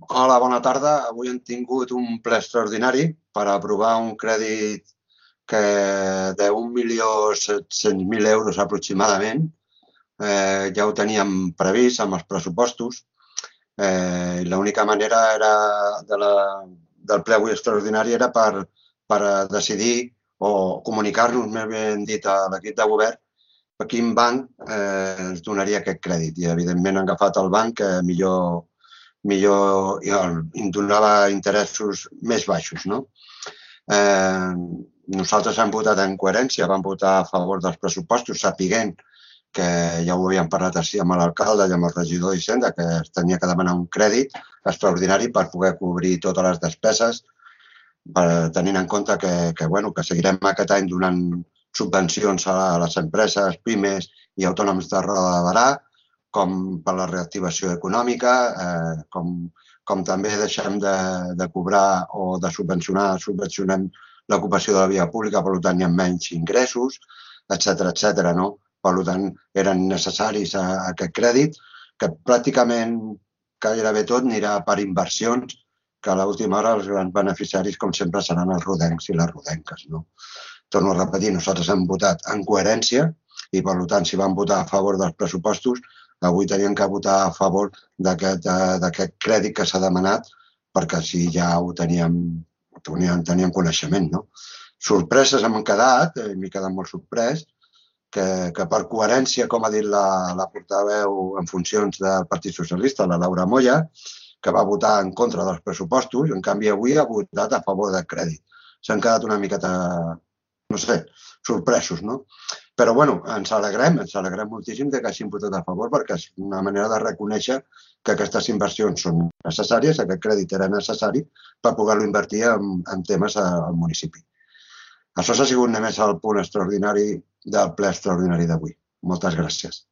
Hola, bona tarda. Avui hem tingut un ple extraordinari per aprovar un crèdit de 1.700.000 euros aproximadament. Ja ho teníem previst amb els pressupostos. L'única manera del ple avui extraordinari era per decidir o comunicar-nos, més ben dit, a l'equip de govern a quin banc ens donaria aquest crèdit. I, evidentment, han agafat el banc que millor i em donava interessos més baixos. Nosaltres hem votat en coherència, vam votar a favor dels pressupostos, sapiguent que ja ho havíem parlat així amb l'alcalde i amb el regidor d'Hisenda, que es tenia que demanar un crèdit extraordinari per poder cobrir totes les despeses, tenint en compte que seguirem aquest any donant subvencions a les empreses, pimes i autònoms de roda de barà, com per la reactivació econòmica, com també deixem de cobrar o de subvencionem l'ocupació de la via pública, per tant hi ha menys ingressos, etcètera. Per tant, eren necessaris aquest crèdit, que pràcticament gairebé tot anirà per inversions, que a l'última hora els grans beneficiaris, com sempre, seran els rodencs i les rodenques. Torno a repetir, nosaltres hem votat en coherència i, per tant, si vam votar a favor dels pressupostos, avui teníem que votar a favor d'aquest crèdit que s'ha demanat, perquè així ja ho teníem coneixement. Sorpreses hem quedat, m'he quedat molt sorprès, que per coherència, com ha dit la portaveu en funcions del Partit Socialista, la Laura Moya, que va votar en contra dels pressupostos, en canvi avui ha votat a favor del crèdit. S'han quedat una miqueta, no sé, sorpresos, no? Però, bueno, ens alegrem moltíssim que hagin votat a favor, perquè és una manera de reconèixer que aquestes inversions són necessàries, aquest crèdit era necessari per poder-lo invertir en temes al municipi. Això ha sigut només el punt extraordinari del ple extraordinari d'avui. Moltes gràcies.